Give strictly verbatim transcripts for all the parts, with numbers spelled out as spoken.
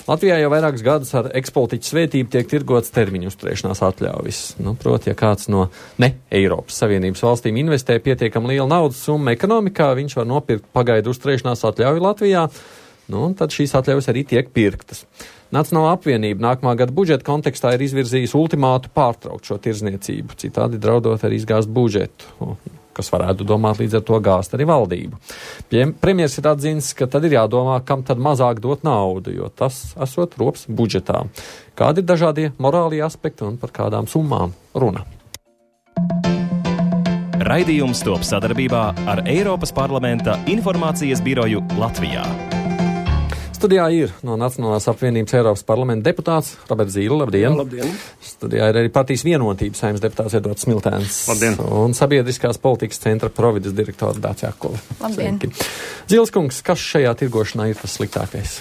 Latvijā jau vairākus gadus ar ekspolitiķu svētību tiek tirgots termiņu uzturēšanās atļaujas. Nu, proti, ja kāds no ne Eiropas Savienības valstīm investē pietiekam lielu naudas summu ekonomikā, viņš var nopirkt pagaidu uzturēšanās atļauju Latvijā, nu, un tad šīs atļaujas arī tiek pirktas. Nacionālā apvienība nākamā gada budžeta kontekstā ir izvirzījusi ultimātu pārtraukt šo tirzniecību, citādi draudot arī izgāzt budžetu, kas varētu domāt līdz ar to gāzt arī valdību. Premjers ir atzīnis, ka tad ir jādomā, kam tad mazāk dot naudu, jo tas esot rops budžetā. Kādi ir dažādie morālie aspekti un par kādām summām runa? Raidījums top sadarbībā ar Eiropas parlamenta informācijas biroju Latvijā. Studijā ir no Nacionālās apvienības Eiropas parlamenta deputāts Roberts Zīle. Labdien! Jā, labdien! Studijā ir arī partijas vienotības saimnes deputāts Edvards Smiltēns. Labdien! Un sabiedriskās politikas centra provides direktora Dācis Jakula. Labdien! Zīles kungs, kas šajā tirgošanā ir tas sliktākais?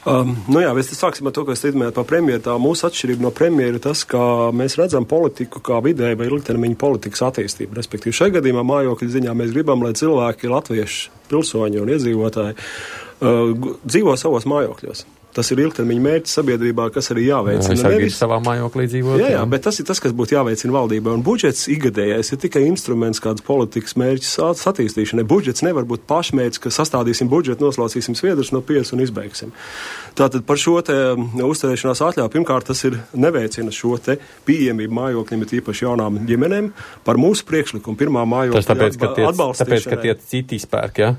Um, nu jā, mēs sāksim ar to, ko es teicu par premjeru. Tā mūsu atšķirība no premjera ir tas, ka mēs redzam politiku kā vidēja vai ilgtermiņa politikas attīstību. Respektīvi, šajā gadījumā mājokļu ziņā mēs gribam, lai cilvēki, latvieši, pilsoņi un iedzīvotāji uh, dzīvo savos mājokļos. Tas ir ilgtermiņa mērķis sabiedrībā, kas arī jāveicina. Jā, nevis savā mājoklī dzīvot. Jā, jā, bet tas ir tas, kas būtu jāveicina valdībai. Un budžets ikgadējais ir tikai instruments kādas politikas mērķis attīstīšanai. Budžets nevar būt pašmērķis, ka sastādīsim budžetu, noslaucīsim sviedrus no piecas un izbeigsim. Tātad par šo te uzturēšanās atļauju, pirmkārt, tas ir neveicina šo te pieejamību mājokļiem, ir īpaši jaunām ģimenēm. Par mūsu priekšlikumu pirmā mājokļa atbalstīšanai. Tas tāpēc, ka tie citi spērki, jā?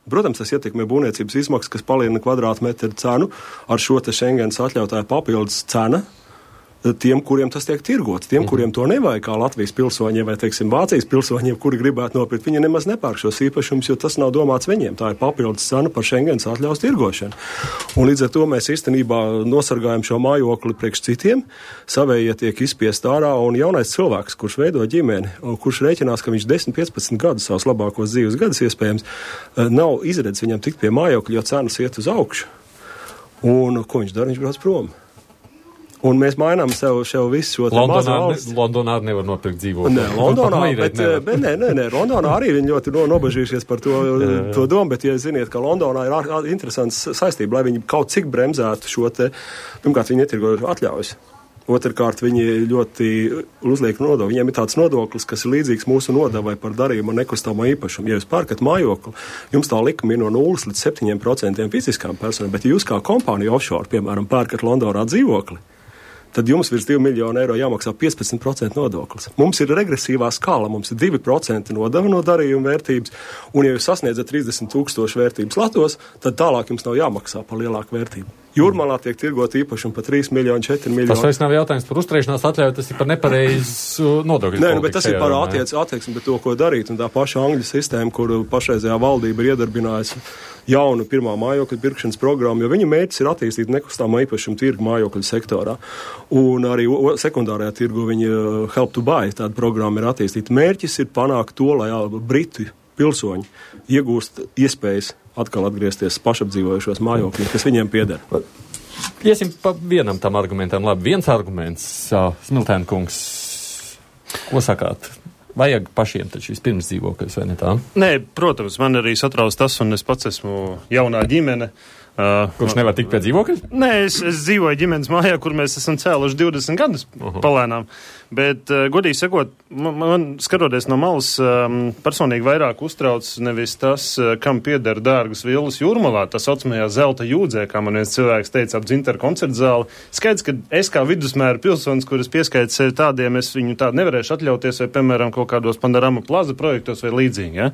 Protams, tas ietekmē būvniecības izmaksas, kas palielina kvadrātmetru cenu ar šo te Schengens atļautāju papildus cena tiem, kuriem tas tiek tirgots. Tiem, kuriem to nevajag, kā Latvijas pilsoņiem vai, teiksim, Vācijas pilsoņiem, kuri gribētu nopirkt, viņi nemaz nepērk šos īpašumus, jo tas nav domāts viņiem. Tā ir papildus cena par Schengens atļaus tirgošanu. Un līdz ar to mēs īstenībā nosargājam šo mājokli priekš citiem, savējie tiek izspiest ārā, un jaunais cilvēks, kurš veido ģimeni, un kurš rēķinās, ka viņš desmit piecpadsmit gadus, savus labākos dzīves gadus iespējams, nav izredzis viņam tikt pie mājokļa, jo cenas iet uz augšu. Un ko viņš dara? Viņš brauc prom. Un mēs mainām sev, sev visu šo te mazu valsts. Londonā arī nevar nopirkt dzīvokli. Nē, Londonā, bet, bet nē, nē, nē, Londonā arī viņi ļoti no, nobažījušies par to, to domu, bet, ja ziniet, ka Londonā ir ar, ar, interesants saistība, lai viņi kaut cik bremzētu šo te, pirmkārt, viņi netirgo atļaujas. Otrkārt, viņi ļoti uzliek nodokli. Viņiem ir tāds nodoklis, kas ir līdzīgs mūsu nodevai par darījumu un nekustamo īpašumu. Ja jūs pērkat mājokli, jums tā likuma ir no nulles līdz septiņiem procentiem fiziskām personām, bet ja jūs kā kompānija offshore, piemēram, pērkat Londonā dzīvokli, tad jums virs divi miljoni eiro jāmaksā piecpadsmit procenti nodoklis. Mums ir regresīvā skala, mums ir divi procenti nodeva no darījuma vērtības, un ja jūs sasniedzat trīsdesmit tūkstoši vērtības latos, tad tālāk jums nav jāmaksā par lielāku vērtību. Jūrmalā tiek tirgot īpašumu par trīs miljoni, četri miljoni. Tas vairs nav jautājums par uzturēšanās atļauju, tas ir par nepareizu nodokļu. Nē, nu, bet tas ir par attiec, attieksmi, bet to, ko darīt, un tā paša Angļu sistēma, kur pašreizējā valdība ir iedarbinājusi jaunu pirmā mājokļa pirkšanas programmu, jo viņa mērķis ir attīstīt nekustāmo īpašumu tirgu mājokļu sektorā. Un arī sekundārajā tirgu viņa Help to Buy tāda programma ir attīstīta. Mērķis ir panākt to, lai Britu pilsoņi iegūst iespējas atkal atgriezties pašapdzīvojušos mājokļos, kas viņiem pieder. Iesim pa vienam tam argumentam. Labi, viens arguments, Smiltēna kungs, ko sakāt? Vajag pašiem taču vispirms dzīvokļus, vai ne tā? Nē, protams, man arī satrauc tas, un es pats esmu jaunā ģimene. Uh, Kurš nevar tikt pie dzīvokļa? Nē, es, es dzīvoju ģimenes mājā, kur mēs esam cēluši divdesmit gadus uh-huh. palēnām. Bet, uh, godīgi sakot, man, man skatoties no malas, um, personīgi vairāk uztrauc nevis tas, uh, kam pieder dārgas villas Jūrmalā, tā saucamajā zelta jūdzē, kā man viens cilvēks teica ap Dzintaru koncertu zāli. Skaidrs, ka es kā vidusmēra pilsonis, kuras pieskaits tādiem, es viņu tādu nevarēšu atļauties, vai, piemēram, kaut kādos Panorama plaza projektos vai līdzīgi, ja?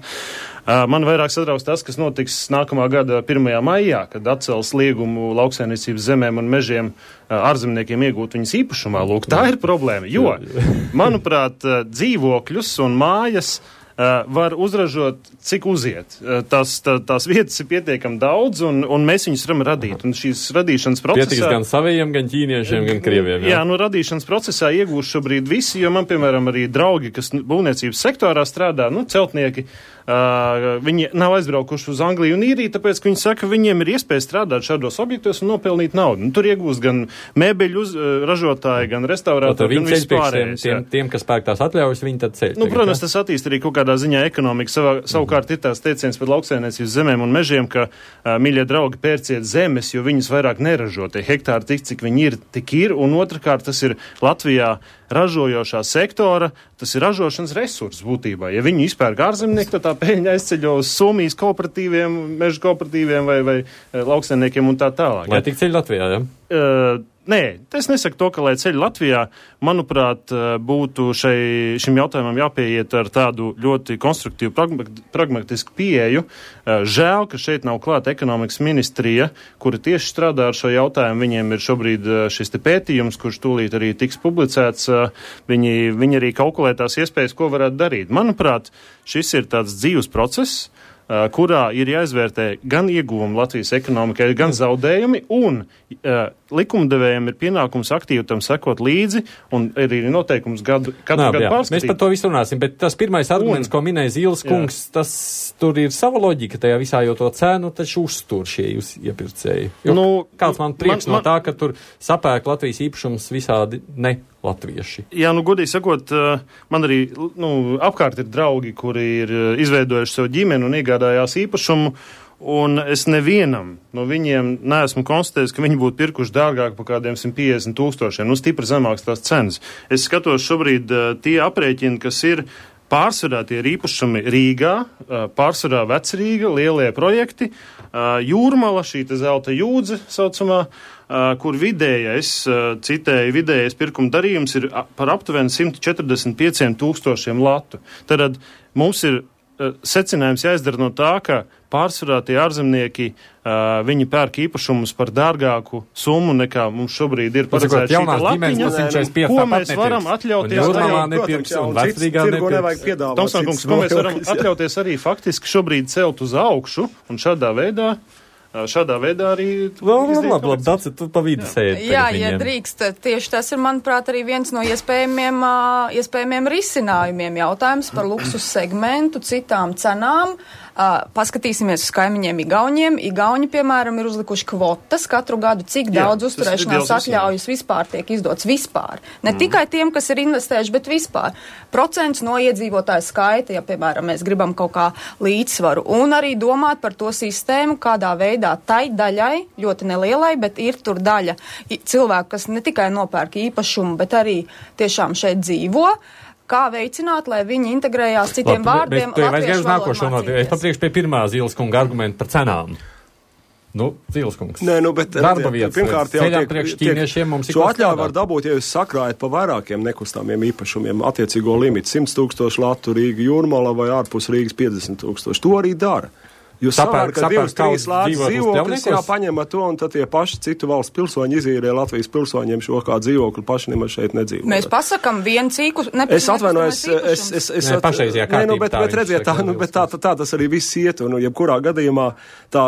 Uh, man vairāk satrauc tas, kas notiks nākamā gada pirmajā maijā, kad atcels liegumu lauksaimniecības zemēm un mežiem ārzemniekiem iegūt viņas īpašumā. Lūk, tā ir problēma, jo, manuprāt, dzīvokļus un mājas uh, var uzražot, cik uziet. Uh, tās, tā, tās vietas ir pietiekami daudz, un, un mēs viņus varam radīt. Un šīs radīšanas procesā... Pietiks gan saviem, gan ķīniešiem, gan krieviem. Jā, jā nu radīšanas procesā iegūst šobrīd visi, jo man, piemēram, arī draugi, kas būvniecības sektorā strādā, nu, celtnieki, Uh, viņi nav aizbraukuši uz Angliju un Īriju, tāpēc, ka viņi saka, ka viņiem ir iespēja strādāt šādos objektos un nopelnīt naudu. Nu, tur iegūst gan mēbeļu uz, uh, ražotāji, gan restaurātori, gan vispārējais. Tiem, tiem, kas pērk tās atļaujas, viņi tad ceļ. Nu, protams, tas attīst arī kaut kādā tādā ziņā ekonomika savā, savukārt ir tās teiciens par lauksaimniecības zemēm un mežiem, ka, uh, mīļie draugi, pērciet zemes, jo viņas vairāk neražo. Tie hektāri tik, cik viņi ir, tik ir, un otrkārt tas ir Latvijā ražojošā sektora, tas ir ražošanas resurss būtībā. Ja viņi izpērk ārzemnieki, tad tā peļņa aizceļo uz Somijas kooperatīviem, meža kooperatīviem vai, vai lauksaimniekiem un tā tālāk. Lai tik ceļ Latvijā, ja? Uh, Nē, es nesaku to, ka lai ceļ Latvijā, manuprāt, būtu šai, šim jautājumam jāpieiet ar tādu ļoti konstruktīvu, pragmatisku pieeju. Žēl, ka šeit nav klāta ekonomikas ministrija, kura tieši strādā ar šo jautājumu. Viņiem ir šobrīd šis te pētījums, kurš tūlīt arī tiks publicēts. Viņi, viņi arī kalkulē tās iespējas, ko varētu darīt. Manuprāt, šis ir tāds dzīves process, kurā ir jāizvērtē gan ieguvumi Latvijas ekonomikai, gan zaudējumi, un uh, likumdevējiem ir pienākums aktīvi tam sekot līdzi, un arī ir noteikums gadu, katru Nā, gadu jā. pārskatīt. Mēs par to visu runāsim, bet tas pirmais arguments, un, ko minēja Zīles kungs, jā. Tas tur ir sava loģika tajā visā, jo to cenu taču uztur šie jūs iepirkēji. Nu, kāds man prieks man, no tā, ka tur sapērk Latvijas īpašums visādi ne latvieši. Jā, nu, godīgi sakot, man arī, nu, apkārt ir draugi, kuri ir izveidojuši savu ģimeni un iegādājās īpašumu, un es nevienam no viņiem neesmu konstatējis, ka viņi būtu pirkuši dārgāk par kādiem simt piecdesmit tūkstošiem, nu, stipri zemāks tās cenas. Es skatos šobrīd tie aprēķini, kas ir pārsvarā tie ir īpašumi Rīgā, pārsvarā Vecrīga, lielie projekti, Jūrmala, šī te zelta jūdze saucamā, kur vidējais, citēji, vidējais pirkuma darījums ir par aptuveni simt četrdesmit pieciem tūkstošiem latu. Tad mums ir secinājums jāizdara no tā, ka pārsvarā tie ārzemnieki, uh, viņi pērk īpašumus par dārgāku summu, nekā mums šobrīd ir paredzēta šī latiņa, ko mēs varam atļauties. Tomsonkungs, ko mēs varam atļauties arī faktiski šobrīd celt uz augšu, un šādā veidā Šādā veidā arī... Labi, labi, labi, Daci, tu pa vidu sēdi. Jā, ja drīkst, tieši tas ir, manuprāt, arī viens no iespējamiem, iespējamiem risinājumiem. Jautājums par luksus segmentu, citām cenām. Uh, paskatīsimies uz kaimiņiem Igauniem. Igauni, piemēram, ir uzlikuši kvotas katru gadu, cik Jā, daudz uzturēšanās atļaujas vispār tiek izdots vispār. Ne mm. tikai tiem, kas ir investējuši, bet vispār. Procents no iedzīvotāju skaita, ja, piemēram, mēs gribam kaut kā līdzsvaru. Un arī domāt par to sistēmu, kādā veidā tai daļai, ļoti nelielai, bet ir tur daļa cilvēku, kas ne tikai nopērk īpašumu, bet arī tiešām šeit dzīvo. Kā veicināt, lai viņi integrējās citiem Labi, vārdiem latviešu valodu mācīties. Es papriekšu pie pirmā Zīles kunga argumenta par cenām. Nu, Zīles kungs. Nē, nu, bet darba vietas. Pirmkārt jau tiek, priekš ķīniešiem mums ir šo atļauju var dabūt, ja jūs sakrājat pa vairākiem nekustamiem īpašumiem attiecīgo limitu. simt tūkstoši latu Rīga Jūrmala vai ārpus Rīgas piecdesmit tūkstoši. To arī dara. Jūs sapērk, ka divas, trīs lācis dzīvokļus jāpaņemat to, un tad tie paši citu valsts pilsoņi izīrē Latvijas pilsoņiem šo kā dzīvokli, paši nemaz šeit nedzīvo. Mēs pasakam vienu cīku, nepēc. Es atvainojos, es, es, es, ne, pašreizajā kārtībā. Nē, nu, bet, bet redziet, tā, nu, bet tā, tā, tā tas arī viss iet, un, jebkurā gadījumā tā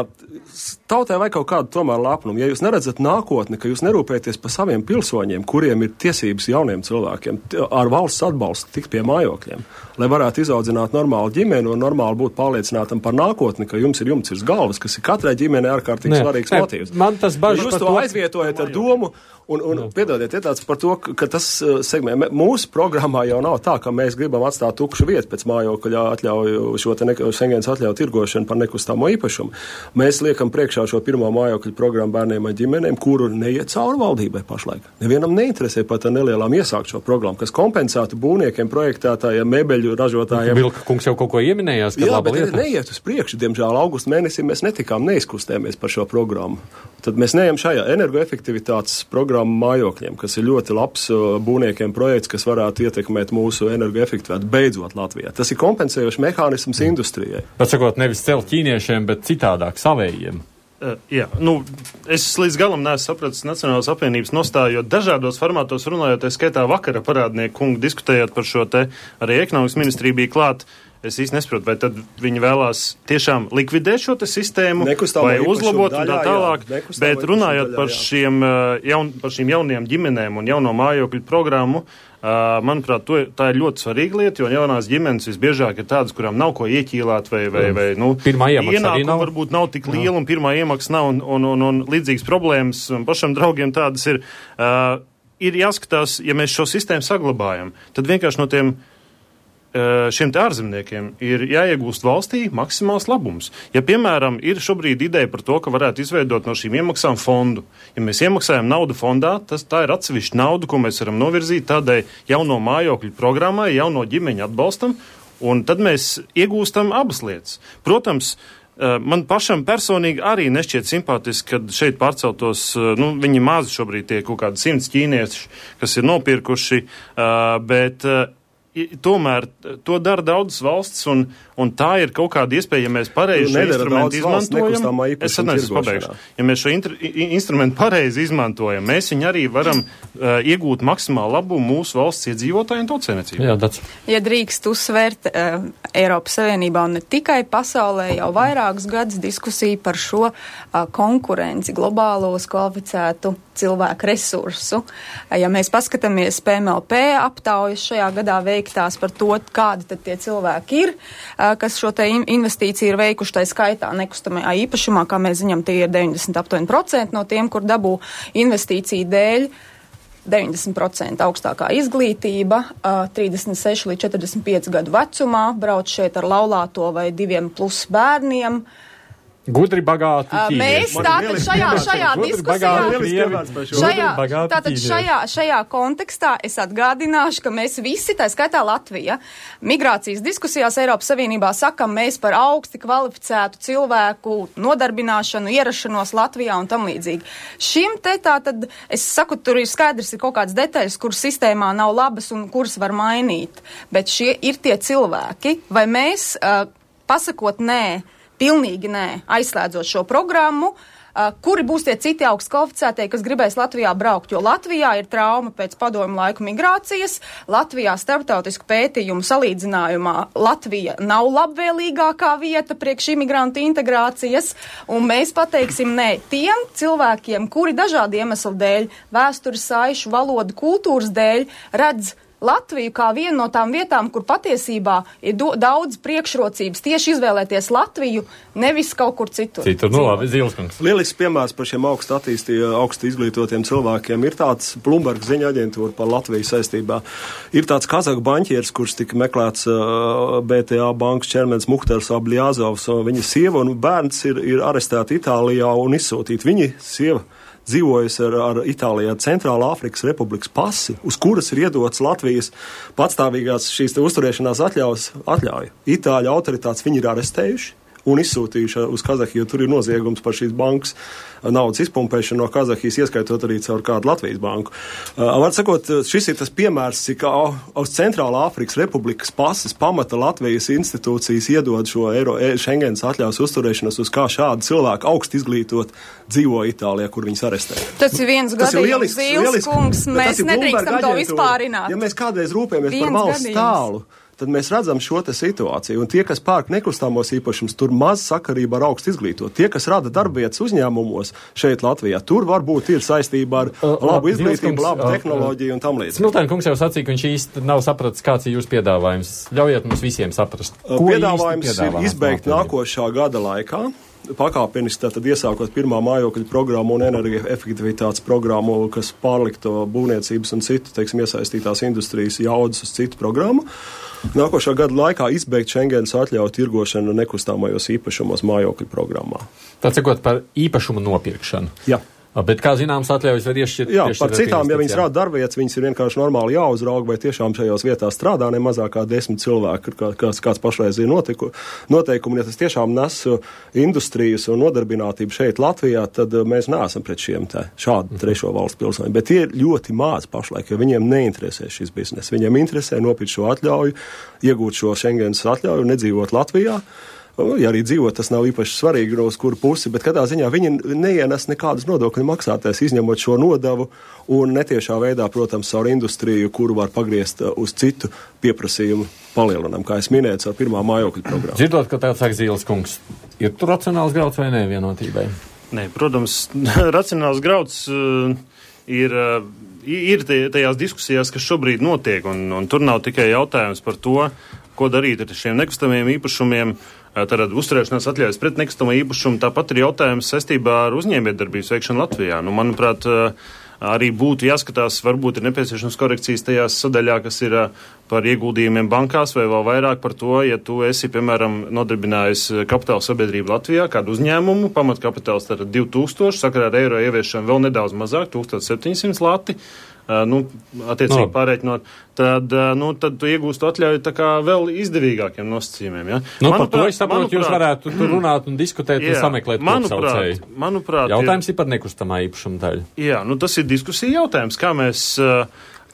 tautai vai kaut kādu tomēr lepnumu. Ja jūs neredzat nākotni, ka jūs nerūpēties par saviem pilsoņiem, kuriem ir tiesības jauniem cilvēkiem ar valsts atbalstu tikt pie mājokļiem, lai varētu izaudzināt normālu ģimeni un normāli būt pārliecinātam par nākotni, ka jums ir jumts virs galvas, kas ir katrai ģimenei ārkārtīgi svarīgs motīvs. Man tas bažas jūs to, to aizvietojat ar domu, un, un piedodiet, ir tāds par to, ka tas segmē, mūsu programmā jau nav tā, ka mēs gribam atstāt tukšu vietu pēc mājokļa atļauju, šo te Schengens atļauju tirgošanu par nekustamo īpašumu. Mēs liekam priekšā šo pirmo mājokļu programmu bērniem un ģimenēm, kuru neiet cauri valdībai pašlaik. Nevienam neinteresē pat ar nelielām iesākt šo programmu, kas kompensētu būvniekiem, projektētājiem, mebeļu ražotājiem. Vilka kungs jau kaut ko ieminējās, ka Jā, laba bet lieta. Neiet uz priekšu, diemžēl augusta mēnesī mēs netikām, neizkustēmies par šo programmu. Tad mēs neejam šajā energoefektivitātes programmu mājokļiem, kas ir ļoti labs būvniekiem projekts, kas varētu ietekmēt mūsu energoefektivitāti beidzot Latvijā. Tas ir kompensējošs mehānisms industrijai. Bet sakot, nevis celt ķīniešiem, bet citādāk savējiem. Uh, jā, nu, es līdz galam neesmu sapratis Nacionālās apvienības nostāju, jo dažādos formātos runājot, es skaitā vakara parādnieku kungu diskutējot par šo te, arī ekonomikas ministrija bija klāt. Es īsti nesaprotu, vai tad viņi vēlās tiešām likvidēt šo te sistēmu, Nekustamā vai uzlabot un tā tālāk, jā, bet runājot daļā, par, šiem, jaun, par šīm jaunajām ģimenēm un jauno mājokļu programmu, Uh, manuprāt, to, tā ir ļoti svarīga lieta, jo jaunās ģimenes visbiežāk ir tādas, kurām nav ko ieķīlāt, vai, vai, vai nu, ienākuma varbūt nav tik liela, un pirmā iemaksa nav, un, un, un, un līdzīgas problēmas, un pašam draugiem tādas ir. Uh, ir jāskatās, ja mēs šo sistēmu saglabājam, tad vienkārši no tiem šiem te ārzemniekiem ir jāiegūst valstī maksimāls labums. Ja, piemēram, ir šobrīd ideja par to, ka varētu izveidot no šīm iemaksām fondu. Ja mēs iemaksājam naudu fondā, tas tā ir atsevišķa nauda, ko mēs varam novirzīt tādai jauno mājokļu programmai, jauno ģimeņu atbalstam, un tad mēs iegūstam abas lietas. Protams, man pašam personīgi arī nešķiet simpātiski, kad šeit pārceltos, nu, viņi mazi šobrīd tie kaut kādi simts ķīnieši, kas ir nopirkuši, bet tomēr to dara daudzas valstis, un, un tā ir kaut kāda iespēja, ja mēs pareizi šo instrumentu izmantojam. Es atnesu pabeigšu. Ja mēs šo intr, instrumentu pareizi izmantojam, mēs viņu arī varam uh, iegūt maksimālu labumu mūsu valsts iedzīvotājiem tautsēmniecību. Jā, that's... Ja drīkst uzsvērt, uh, Eiropas Savienībā un ne tikai pasaulē jau vairākus gadus diskusija par šo uh, konkurenci globālos kvalificētu cilvēku resursu. Ja mēs paskatāmies P M L P aptaujas šajā gadā veiktās par to, kādi tad tie cilvēki ir, kas šo te investīciju ir veikuši, tai skaitā nekustamajā īpašumā, kā mēs ziņam, tie ir deviņdesmit astoņi procenti no tiem, kur dabū investīciju dēļ, deviņdesmit procenti augstākā izglītība, trīsdesmit seši līdz četrdesmit pieci gadu vecumā, brauc šeit ar laulāto vai diviem plus bērniem. Gudri bagāti ķīnieši. Mēs tātad šajā, šajā diskusijā, šajā, tātad šajā, šajā kontekstā es atgādināšu, ka mēs visi, tā skaitā Latvija, migrācijas diskusijās Eiropas Savienībā sakam, mēs par augsti kvalificētu cilvēku nodarbināšanu, ierašanos Latvijā un tam līdzīgi. Šim te tātad, es saku, tur ir skaidrs, ir kaut kādas detaļas, kuras sistēmā nav labas un kuras var mainīt, bet šie ir tie cilvēki, vai mēs, uh, pasakot nē, pilnīgi nē, aizslēdzot šo programmu, uh, kuri būs tie citi augsts kvalificētie, kas gribēs Latvijā braukt, jo Latvijā ir trauma pēc padomju laiku migrācijas, Latvijā starptautisku pētījumu salīdzinājumā Latvija nav labvēlīgākā vieta priekš imigrantu integrācijas, un mēs pateiksim nē tiem cilvēkiem, kuri dažādu iemeslu dēļ, vēstures saišu, valodu, kultūras dēļ redz Latviju kā vienu no tām vietām, kur patiesībā ir do, daudz priekšrocības tieši izvēlēties Latviju, nevis kaut kur citur. Citur, nu labi, Zilskungs. Lielisks piemērs par šiem augstu attīstītiem, augstu izglītotiem cilvēkiem ir tāds Bloomberg ziņa aģentūra par Latviju saistībā. Ir tāds kazaku baņķieris, kurš tika meklēts uh, B T A bankas ķermenis Muhtars Abļāzovs, un viņa sieva un bērns ir, ir arestēti Itālijā un izsūtīti. Viņa sieva dzīvojas ar, ar Itālijā Centrālā Afrikas Republikas pasi, uz kuras ir iedots Latvijas patstāvīgās šīs te uzturēšanās atļaus, atļauja. Itāļu autoritātes viņi ir arestējuši un izsūtījuši uz Kazahiju, jo tur ir noziegums par šīs bankas naudas izpumpēšanu no Kazahijas, ieskaitot arī caur kādu Latvijas banku. Uh, var sakot, šis ir tas piemērs, cik uz Centrālā Afrikas Republikas pases pamata Latvijas institūcijas iedod šo Eiro, Schengens atļaus uzturēšanos, uz kā šādi cilvēki augst izglītot dzīvo Itālijā, kur viņus arestē. Tas ir viens gadījums, Zīles kungs, mēs nedrīkstam to vispārināt. Ja mēs kādreiz rūpējamies par valsts tālu, tad mēs redzam šo te situāciju. Un tie, kas pērk nekustamos īpašumus, tur maz sakarība ar augstu izglītot. Tie, kas rada darbvietas uzņēmumos šeit Latvijā, tur varbūt ir saistība ar uh, labu izglītību, labu uh, tehnoloģiju un tam līdzīgi. Smiltēna kungs jau sacīja, ka viņš īsti nav sapratis, kāds ir jūsu piedāvājums. Ļaujiet mums visiem saprast. Ko piedāvājums ir izbeigt nākošā gada laikā. Pakāpeniski tātad iesākot pirmā mājokļu programmu un energoefektivitātes programmu, kas pārlikto būvniecības un citu, teiksim, iesaistītās industrijas jaudas uz citu programmu. Nākošā gada laikā izbeigt Schengens atļauju tirgošanu nekustāmajos īpašumos mājokļu programmā. Tā sakot par īpašumu nopirkšanu. Jā. Bet, kā zināms, atļaujas var iešķirt. Jā, par citām, ja viņas rāda darbvietas, viņas ir vienkārši normāli jāuzrauga, vai tiešām šajos vietās strādā ne mazāk kā desmit cilvēki, kā, kāds, kāds pašreiz ir notiku, noteikumi. Ja tas tiešām nes industrijas un nodarbinātību šeit Latvijā, tad mēs neesam pret šiem te šādu trešo valstu pilsoņiem. Bet tie ir ļoti maz pašlaik, jo viņiem neinteresē šis biznes. Viņiem interesē nopirkt šo atļauju, iegūt šo Schengens atļauju un nedzīvot Latvijā. Ja arī dzīvot, tas nav īpaši svarīgi, uz kuru pusi, bet katrā ziņā viņi neienes nekādus nodokļu maksātājus, izņemot šo nodevu un netiešā veidā, protams, caur industriju, kuru var pagriezt uz citu pieprasījumu palielinam, kā es minēju, ar pirmā mājokļu programmu. Dzirdot, ka tāds saka Zīles kungs, ir tur racionāls grauds vai nē vienotībai? Nē, protams, racionāls grauds uh, ir, uh, ir tajās diskusijās, kas šobrīd notiek, un, un tur nav tikai jautājums par to, ko darīt ar šiem nekustamiem īpašumiem, Tātad uzturēšanās atļaujas pret nekustamo īpašumu, tāpat ir jautājums saistībā ar uzņēmējdarbības veikšanu Latvijā. Nu, manuprāt, arī būtu jāskatās, varbūt ir nepieciešams korekcijas tajās sadaļā, kas ir par ieguldījumiem bankās vai vēl vairāk par to, ja tu esi, piemēram, nodarbinājis kapitāla sabiedrību Latvijā, kādu uzņēmumu, pamatkapitāls tad divi tūkstoši, sakarā ar eiro ieviešanu vēl nedaudz mazāk, tūkstoš septiņsimt lati. Uh, nu, attiecīgi no. pārēķinot, tad, uh, nu, tad tu iegūstu atļauju tā kā vēl izdevīgākiem nosacījumiem, ja? Nu, manuprāt, par to es saprotu, manuprāt, jūs varētu tur runāt un diskutēt jā, un sameklēt kopsaucēju. Manuprāt, jautājums ir par nekustamā īpašuma daļu. Jā, nu tas ir diskusija jautājums, kā mēs,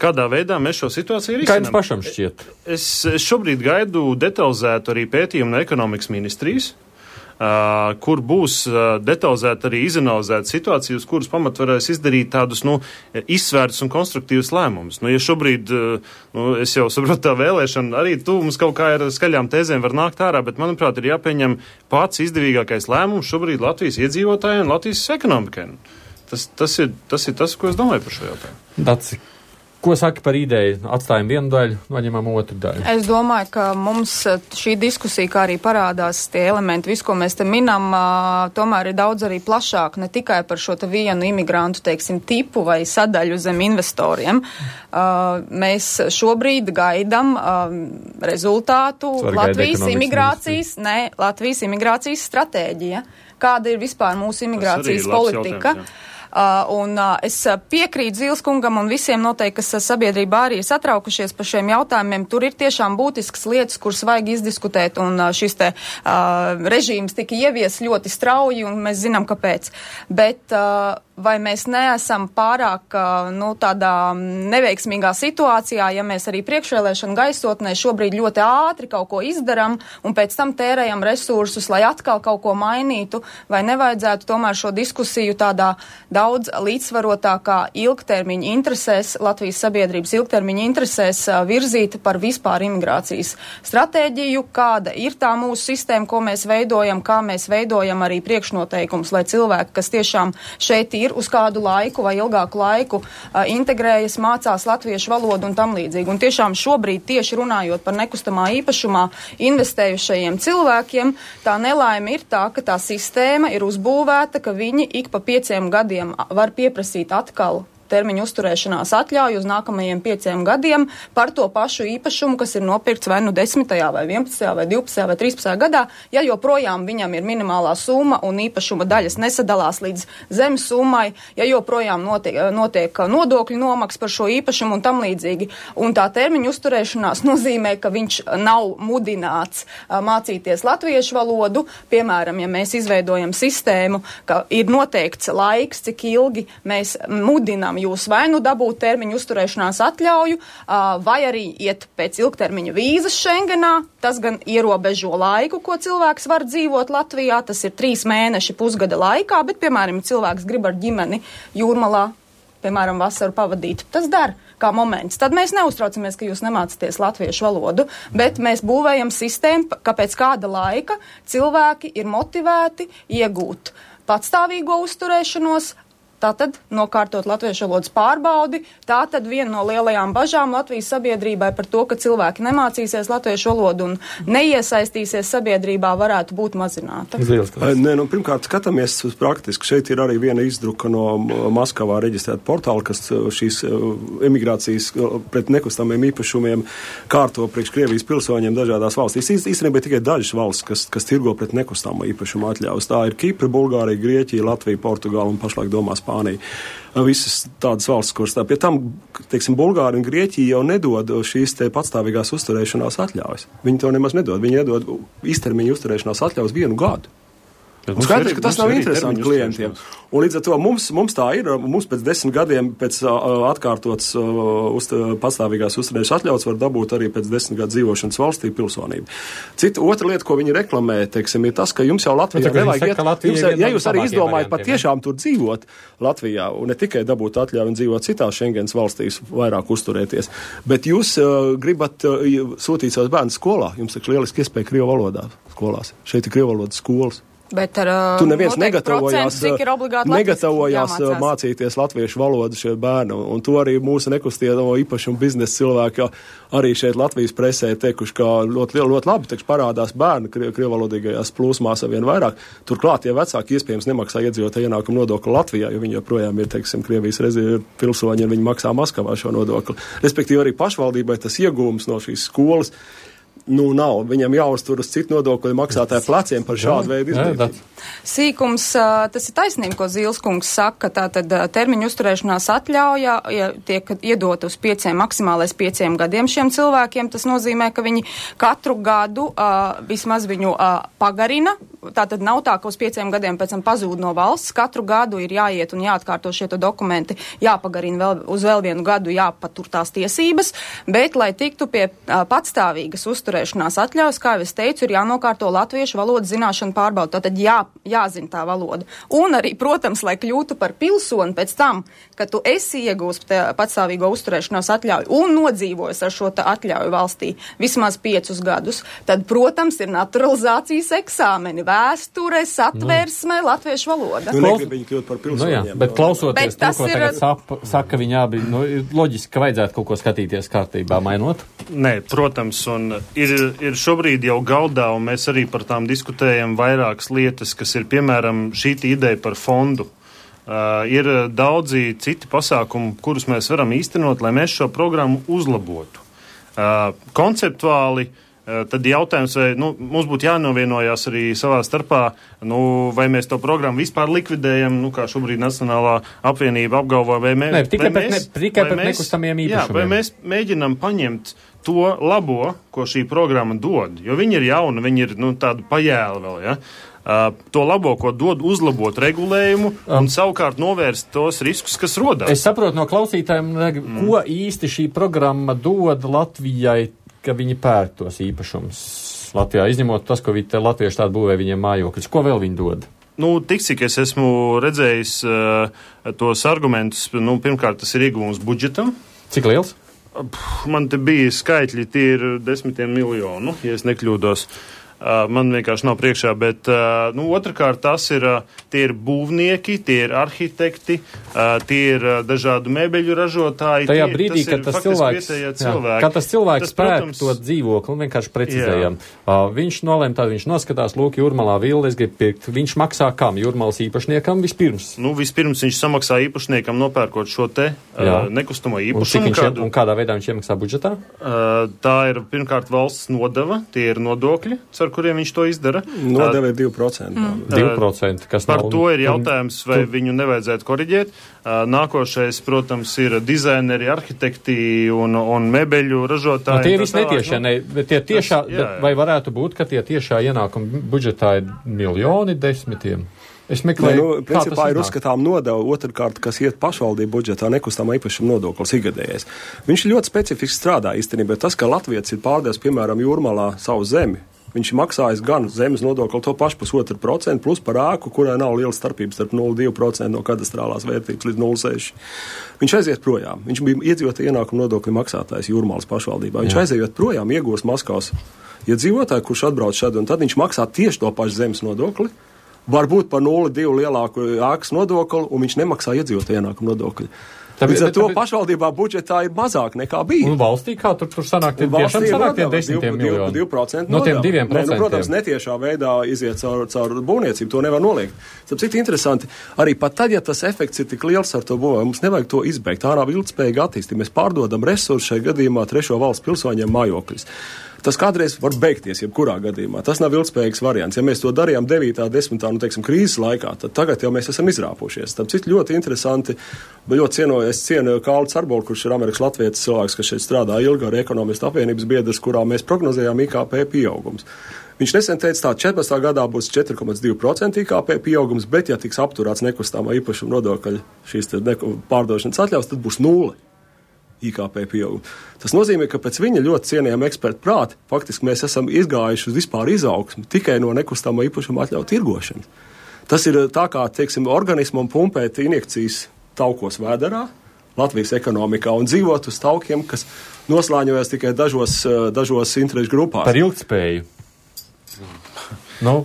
kādā veidā mēs šo situāciju risinām. Kā jums pašam šķiet? Es, es šobrīd gaidu detalizētu arī pētījumu no ekonomikas ministrijas, Uh, kur būs uh, detalizēta arī izanalizēta situācija, uz kuras pamat varēs izdarīt tādus, nu, izsvērtus un konstruktīvus lēmumus. Nu, ja šobrīd, uh, nu, es jau saprotu tā vēlēšana, arī tu mums kaut kā ar skaļām tēzēm var nākt ārā, bet, manuprāt, ir jāpieņem pats izdevīgākais lēmums šobrīd Latvijas iedzīvotājiem un Latvijas ekonomikai. Tas, tas, ir, tas ir tas, ko es domāju par šo jautājumu. Daci. Ko saka par ideju? Atstājam vienu daļu, noņemam otru daļu. Es domāju, ka mums šī diskusija, kā arī parādās tie elementi, visu, ko mēs te minam, tomēr ir daudz arī plašāk, ne tikai par šo te vienu imigrantu, teiksim, tipu vai sadaļu zem investoriem. Mēs šobrīd gaidam rezultātu Latvijas imigrācijas, ne, Latvijas imigrācijas stratēģija. Kāda ir vispār mūsu imigrācijas politika? Jautājums, Uh, un uh, es piekrītu Zilskungam un visiem noteikti, kas sabiedrībā arī ir satraukušies par šiem jautājumiem. Tur ir tiešām būtisks lietas, kuras vajag izdiskutēt, un uh, šis te uh, režīms tika ievies ļoti strauji, un mēs zinām, kāpēc. Bet uh, vai mēs neesam pārāk uh, nu, tādā neveiksmīgā situācijā, ja mēs arī priekšvēlēšanu gaisotnē šobrīd ļoti ātri kaut ko izdaram, un pēc tam tērējam resursus, lai atkal kaut ko mainītu, vai nevajadzētu tomēr šo diskusiju tādā daudz līdzsvarotākā ilgtermiņa interesēs, Latvijas sabiedrības ilgtermiņa interesēs virzīt par vispār imigrācijas stratēģiju, kāda ir tā mūsu sistēma, ko mēs veidojam, kā mēs veidojam arī priekšnoteikums, lai cilvēki, kas tiešām šeit ir uz kādu laiku vai ilgāku laiku, integrējas, mācās latviešu valodu un tam līdzīgi. Un tiešām šobrīd tieši runājot par nekustamā īpašumā investējušajiem cilvēkiem, tā nelaime ir tā, ka tā sistēma ir uzbūvēta, ka viņi ik pa pieciem gadiem var pieprasīt atkal termiņu uzturēšanās atļauju uz nākamajiem pieciem gadiem par to pašu īpašumu, kas ir nopirkts vai nu desmitajā, vai vienpadsmitajā, vai divpadsmitajā, vai trīspadsmitajā gadā, ja joprojām viņam ir minimālā summa un īpašuma daļas nesadalās līdz zemes summai, ja joprojām notiek, notiek nodokļu nomaks par šo īpašumu un tam līdzīgi. Un tā termiņu uzturēšanās nozīmē, ka viņš nav mudināts a, mācīties latviešu valodu. Piemēram, ja mēs izveidojam sistēmu, ka ir noteikts laiks, cik ilgi mēs mudinām jūs vai nu dabūt termiņu uzturēšanās atļauju, vai arī iet pēc ilgtermiņa vīzas Schengenā. Tas gan ierobežo laiku, ko cilvēks var dzīvot Latvijā. Tas ir trīs mēneši pusgada laikā, bet, piemēram, cilvēks grib ar ģimeni Jūrmalā, piemēram, vasaru pavadīt. Tas dara kā moments. Tad mēs neuztraucamies, ka jūs nemācaties latviešu valodu, bet mēs būvējam sistēmu, ka pēc kāda laika cilvēki ir motivēti iegūt patstāvīgo uzturēšanos, tātad nokārtot latviešu valodas pārbaudi. Tātad viena no lielajām bažām Latvijas sabiedrībai par to, ka cilvēki nemācīsies latviešu valodu un neiesaistīsies sabiedrībā, varētu būt mazināta. Nē, nu, pirmkārt, skatāmies uz praktiski. Šeit ir arī viena izdruka no Maskavā reģistrēta portāla, kas šīs emigrācijas pret nekustamiem īpašumiem kārto priekš Krievijas pilsoņiem dažādās valstīs. Īstenībā tikai dažas valsts, kas, kas tirgo pret nekustamo īpašumu atļaus. Tā ir Kipra, Bulgārija, Grieķija, Latvija, Portugāla un pašlaik domās Spānija. Visas tādas valsts, kuras tā pie tam, teiksim, Bulgāri un Grieķija jau nedod šīs te patstāvīgās uzturēšanās atļaujas. Viņi to nemaz nedod. Viņi nedod īstermiņa uzturēšanās atļaujas vienu gadu. Un skaidrs, ka tas nav interesanti klientiem. Un līdz ar to mums, mums tā ir, mums pēc desmit gadiem pēc uh, atkārtotas uh, uz, patstāvīgās uzturēšanās atļaujas var dabūt arī pēc desmit gadu dzīvošanas valstī pilsonību. Cita otra lieta, ko viņi reklamē, teiksim, ir tas, ka jums jau Latvijā nevajag iet, jums, ja jūs arī izdomājat pat tiešām tur dzīvot Latvijā un ne tikai dabūt atļauju un dzīvot citās Schengens valstīs, vairāk uzturēties, bet jūs uh, gribat uh, sūtīt savus bērnus skolā, jums ir lieliski iespēja krievu valodā skolās. Šeit ir krievu valodas skolas. Bet ar tu neviens negatavojās, cik ir obligāti negatavojās mācīties latviešu valodu šie bērni, un to arī mūsu nekustamo īpašumu biznesa cilvēki arī šeit Latvijas presē teikuši, ka ļoti, ļoti labi tekš parādās bērni krievalodīgajās plūsmās ar vien vairāk. Turklāt, ja vecāki iespējams nemaksā iedzīvotāju ienākumu nodokli Latvijā, jo viņi joprojām ir, teiksim, Krievijas pilsoņi, un viņi maksā Maskavā šo nodokli. Respektīvi arī pašvaldībai tas iegūms no šīs skolas nu nav. Viņam jāuztur uz citu nodokļu maksātāju pleciem par šādu veidu izdarību. Sīkums, tas ir taisnība, ko Zīleskungs saka, tātad termiņu uzturēšanās atļauja, ja tiek iedot uz pieciem, maksimālais pieciem gadiem šiem cilvēkiem, tas nozīmē, ka viņi katru gadu uh, vismaz viņu uh, pagarina, tātad nav tā, ka uz pieciem gadiem pēc tam pazūd no valsts, katru gadu ir jāiet un jāatkārto šie dokumenti, jāpagarina vēl, uz vēl vienu gadu, jāpatur tās tiesības, bet, lai tiktu pie uh, patstāvīgas uzturēšanās atļaujas, kā jau es teicu, ir jānokārto latviešu valodas zināšanu pārbaudu, tātad jā jāzina tā valoda. Un arī, protams, lai kļūtu par pilsoni pēc tam, ka tu esi iegūst patstāvīgo uzturēšanās atļauju un nodzīvojas ar šo atļauju valstī vismaz piecus gadus, tad, protams, ir naturalizācijas eksāmeni, vēsture, satversme, nu. Latviešu valoda. Nu, negrib viņi kļūt par pilsoņiem. Nu, jā, bet klausoties bet to, ko ir... tagad sapa, saka viņi abi, nu, loģiski, ka vajadzētu kaut ko skatīties kārtībā, mainot? Nē, protams, un ir, ir šobrīd jau galdā, un mēs arī par tām diskutējam vairākas lietas, kas ir, piemēram, šī ideja par fondu. Uh, ir daudzi citi pasākumi, kurus mēs varam īstenot, lai mēs šo programmu uzlabotu. Uh, konceptuāli, uh, tad jautājums, vai nu, mums būtu jānovienojās arī savā starpā, nu, vai mēs to programmu vispār likvidējam, nu, kā šobrīd Nacionālā apvienība apgalvo, vai, mē, ne, tikai vai mēs, ne, tikai vai mēs, nekustamiem īpašumiem. Jā, vai mēs mēģinam paņemt to labo, ko šī programma dod, jo viņi ir jauna, viņi ir, nu, tādu pajēli vēl, ja? Uh, to labo, ko dod, uzlabot regulējumu un um, savukārt novērst tos riskus, kas rodās. Es saprotu no klausītājiem, mm. ko īsti šī programma dod Latvijai, ka viņi pērk tos īpašumus Latvijā, izņemot tas, ko viņi latvieši tādu būvē viņiem mājokļus. Ko vēl viņi dod? Nu, tik cik es esmu redzējis uh, tos argumentus, nu, pirmkārt, tas ir ieguvums budžetam. Cik liels? Man te bija skaitļi, tie ir desmitiem miljonu, ja es nekļūdos. Uh, man vienkārši nav priekšā, bet uh, nu, otrkārt tas ir, uh, tie ir būvnieki, tie ir arhitekti, uh, tie ir uh, dažādu mēbeļu ražotāji. Tajā tie, brīdī, tas kad tas cilvēks, jā, kad tas cilvēks pērk to dzīvokli, un vienkārši precizējam, uh, viņš nolēma tādu, viņš noskatās, lūk, Jūrmalā villi, es gribu pirkt, viņš maksā kam? Jūrmalas īpašniekam vispirms? Nu, vispirms viņš samaksā īpašniekam nopērkot šo te uh, nekustamo īpašumu. Un, kādu, un kādā veidā viņš iemaksā budžetā? Uh, tā ir pirmkārt valsts nodeva, tie ir nodokļi, ar kuriem viņš to izdara. Nodeva ir divi procenti. Mm. divi procenti, kas par nav... to ir jautājums, vai tu... viņu nevajadzētu koriģēt. Nākošais, protams, ir dizaineri, arhitekti un, un mebeļu ražotāji. No, tie visi netiešā, ne, bet tie tiešā, tas, jā, jā. Vai varētu būt, ka tie tiešā ienākuma budžetā ir miljoni desmitiem? Es meklēju, nu, principā ir uzskatām nodeva, otrkārt, kas iet pašvaldību budžetā, nekustamā īpašuma nodoklis ikgadējais. Viņš ļoti specifiski strādā īstenībā. Tas, ka Latvijas ir pārdevis, piemēram, Jūrmalā savu zemi, viņš maksājas gan zemes nodokli to pašu pusotru procentu, plus par ēku, kurai nav liela starpības starp nulle komats divi procenti no kadastrālās vērtības līdz nulle komats seši. Viņš aiziet projām. Viņš bija iedzīvotāju ienākumu nodokļu maksātājs Jūrmalas pašvaldībā. Viņš Jā. aiziet projām, iegūst Maskavas iedzīvotāju, kurš atbrauc šad, un tad viņš maksā tieši to pašu zemes nodokli, varbūt par nulle komats divi lielāku ēkas nodokli, un viņš nemaksā iedzīvotāju ienākumu nodokļu. Līdz ar to pašvaldībā budžetā ir mazāk nekā bija. Un valstī kā tur, tur sanāk tie tiešām sanāk tie desmitiem miljoni? divi procenti no tiem diviem procentiem. Nu, protams, netiešā veidā iziet caur, caur būvniecību, to nevar noliegt. Tāpēc cik interesanti, arī pat tad, ja tas efekts ir tik liels ar to būvē, mums nevajag to izbeigt. Tā nav ilgspējīga attīstība. Mēs pārdodam resursu šai gadījumā trešo valsts pilsoņiem mājokļus. Tas kādreiz var beigties, jebkurā gadījumā. Tas nav ilgspējīgs variants. Ja mēs to darījām devītā, desmitā, nu, teiksim, krīzes laikā, tad tagad jau mēs esam izrāpušies. Tam cik ļoti interesanti, bet ļoti cienu, es cienu Kārli Carbolu, kurš ir Amerikas latvietis cilvēks, kas šeit strādā ilgi ar ekonomistu apvienības biedrs, kurā mēs prognozējām I K P pieaugums. Viņš nesen teica, tā četrpadsmitā gadā būs četri komats divi procenti I K P pieaugums, bet ja tiks apturēts nekustamā īpašuma nodokļa šīs pārdošanas atļaus, tad būs nulle. I K P pieaugumu. Tas nozīmē, ka pēc viņa ļoti cienījama eksperta prāta faktiski mēs esam izgājuši uz vispār izaugsmi tikai no nekustamā īpašuma atļauju tirgošanas. Tas ir tā kā, teiksim, organismam pumpēt injekcijas taukos vēderā, Latvijas ekonomikā un dzīvot uz taukiem, kas noslāņojas tikai dažos, dažos interešu grupās. Par ilgtspēju. Nu,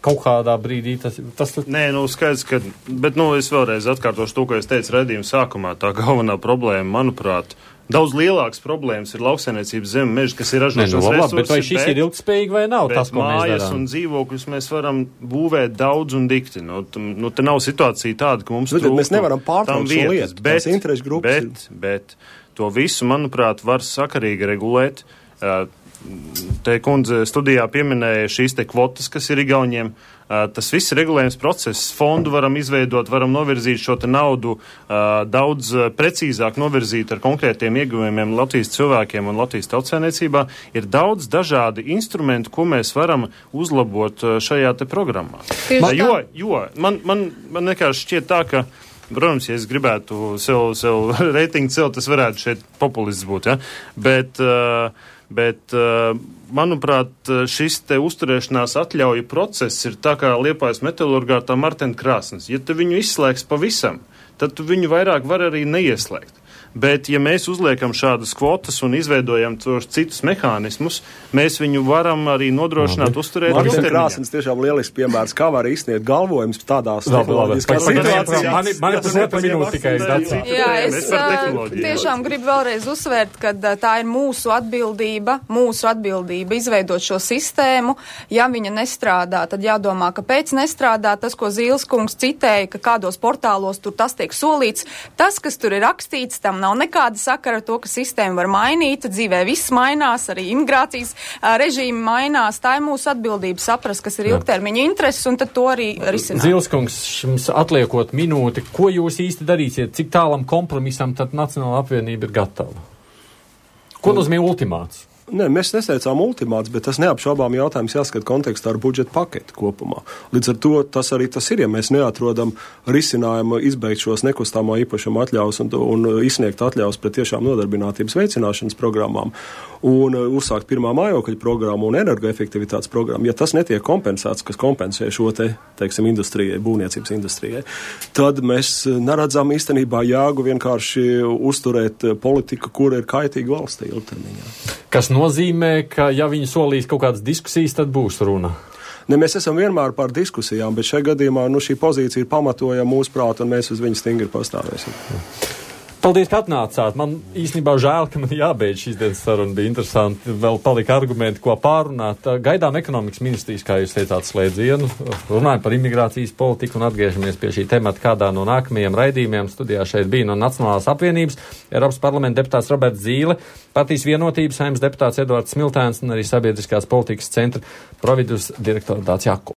kaut kādā brīdī tas... tas... Nē, nu skaidrs, ka, bet, nu, es vēlreiz atkārtošu to, ko es teicu redzījuma sākumā. Tā galvenā problēma, manuprāt, daudz lielāks problēmas ir lauksainiecības zeme meži, kas ir ražošanas nu, resursi. Bet vai šis bet, ir ilgspējīgi vai nav tas, ko mēs darām? Mājas un dzīvokļus mēs varam būvēt daudz un dikti. Nu, t, nu te nav situācija tāda, ka mums trūktu. Mēs nevaram pārtraukt šo lietu. Bet, interešu grupas bet, bet to visu, manuprāt, var sakarīgi regulēt. Te kundze studijā pieminēja šīs te kvotas, kas ir Igauniem. Tas viss ir regulējums process. Fondu varam izveidot, varam novirzīt šo te naudu daudz precīzāk novirzīt ar konkrētiem ieguvumiem Latvijas cilvēkiem un Latvijas tautsēmniecībā. Ir daudz dažādi instrumenti, ko mēs varam uzlabot šajā te programmā. Man, jo, jo man, man, man vienkārši šķiet tā, ka protams, ja es gribētu sev, sev reitingu celt, tas varētu šeit populists būt, ja? Bet, bet, manuprāt, šis te uzturēšanās atļauju process ir tā kā Liepājas metalurgā tā Martena krāsnes. Ja tu viņu izslēgs pavisam, tad tu viņu vairāk var arī neieslēgt. Bet, ja mēs uzliekam šādas kvotas un izveidojam tos citus mehānismus, mēs viņu varam arī nodrošināt uzturēt ilgtermiņā. Martena krāsnes tiešām lielisks piemērs, kā var izsniegt galvojums tādās tehnoloģiskās situācijās. Mani, mani pusotra minūte tikai izdacīt. Jā, es tiešām gribu vēlreiz uzsvērt, ka tā ir mūsu atbildība, mūsu atbildība izveidot šo sistēmu. Ja viņa nestrādā, tad jādomā, kāpēc nestrādā. Tas, ko Zīles kungs citēja, ka kādos portālos tur tas tiek solīts, tas, kas tur ir rakstīts, tam nav nekāda sakara ar to, ka sistēma var mainīt, dzīvē viss mainās, arī imigrācijas uh, režīmi mainās. Tā ir mūsu atbildība saprast, kas ir ilgtermiņa intereses, un tad to arī risināt. Zīles kungs, jums atliekot minūti, ko jūs īsti darīsiet, cik tālam kompromisam tad Nacionāla apvienība ir gatava? Ko nozīmē ultimāts? Nē, mēs neseicām ultimāts, bet tas neapšaubām jautājums jāskat kontekstā ar budžeta paketi kopumā. Līdz ar to tas arī tas ir, ja mēs neatrodam risinājumu izbeigt šos nekustāmā īpašuma atļaus un, un izsniegt atļaus pret tiešām nodarbinātības veicināšanas programmām un uzsākt pirmā mājokļa programmu un energoefektivitātes programmu. Ja tas netiek kompensēts, kas kompensē šo te, teiksim, industrijai, būvniecības industrijai, tad mēs neredzam īstenībā jēgu vienkārši uzturēt politiku, kura ir kaitīga valstī ilgtermiņā. Kas nozīmē, ka ja viņi solīs kaut kādas diskusijas, tad būs runa? Ne, mēs esam vienmēr par diskusijām, bet šajā gadījumā nu, šī pozīcija ir pamatojama mūsu prātu, un mēs uz viņu stingri pastāvēsim. Paldies, ka atnācāt. Man īstenībā žēl, ka man jābeidz šīs dienas saruna. Bija interesanti. Vēl palika argumenti, ko pārunāt. Gaidām ekonomikas ministrijas, kā jūs teicāt, slēdzienu. Runājam par imigrācijas politiku un atgriežamies pie šī temata kādā no nākamajiem raidījumiem. Studijā šeit bija no Nacionālās apvienības Eiropas parlamenta deputāts Roberts Zīle, Partijas vienotības Saeimas deputāts Edvards Smiltēns un arī Sabiedriskās politikas centra providus direktora Dācis Jakubs.